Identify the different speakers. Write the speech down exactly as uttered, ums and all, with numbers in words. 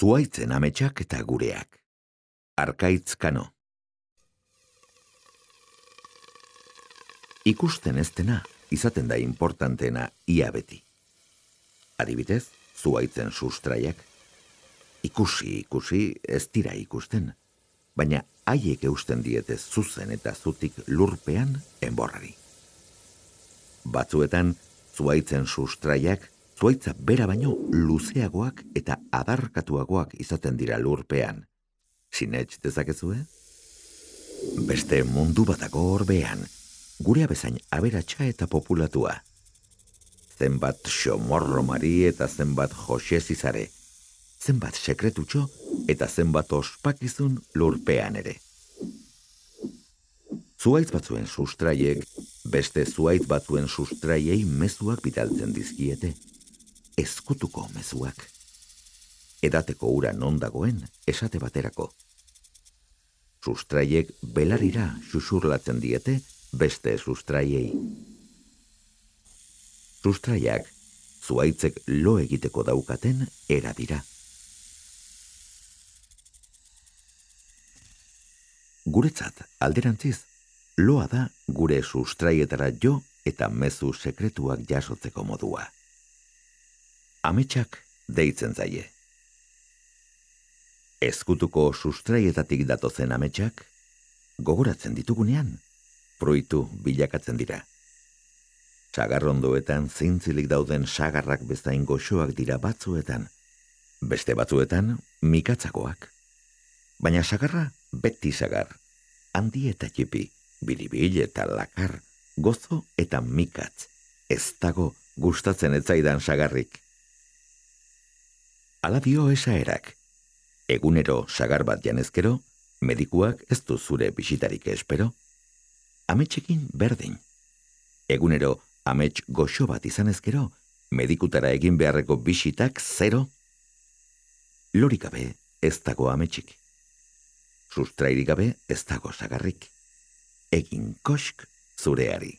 Speaker 1: Zuhaitzen ametsak eta gureak. Arkaitz Kano. Ikusten ez dena, izaten da importantena ia beti. Adibidez, zuhaitzen sustraiak. Ikusi, ikusi, ez dira ikusten, baina haiek eusten diete zuzen eta zutik lurpean enborrari. Batzuetan, zuhaitzen sustraiak, zuhaitza bera baino luzeagoak eta adarkatuagoak izaten dira lurpean. Sinets dezakezue? Beste mundu batako horbean, gurea bezain aberatsa eta populatua. Zenbat xomorromari eta zenbat josezizare, zenbat sekretutxo eta zenbat ospakizun lurpean ere. Zuhaitz batzuen sustraiek, beste zuhaitz batzuen sustraiei mezuak bidaltzen dizkiete. Ezkutuko mezuak. Edateko ura non dagoen esate baterako. Sustraiek belarira xuxurlatzen diete beste sustraiei. Sustraiak zuhaitzek lo egiteko daukaten era dira. Guretzat, alderantziz, loa da gure sustraietara jo eta mezu sekretuak jasotzeko modua. Ametsak deitzen zaie. Ezkutuko sustraietatik datozen ametsak, gogoratzen ditugunean, fruitu bilakatzen dira. Sagarrondoetan zintzilik dauden sagarrak bezain goxoak dira batzuetan, beste batzuetan mikatzagoak. Baina sagarra beti sagar, handi eta txipi, biribil eta lakar, gozo eta mikatz, ez dago gustatzen etzaidan sagarrik. Ala dio esaerak, egunero sagar bat janezkero, medikuak ez du zure bisitarik espero, ametsekin berdin. Egunero amets goxo bat izanezkero, medikutara egin beharreko bisitak zero. Lorik gabe ez dago ametsik. Sustrairik gabe ez dago sagarrik. Egin kosk zureari.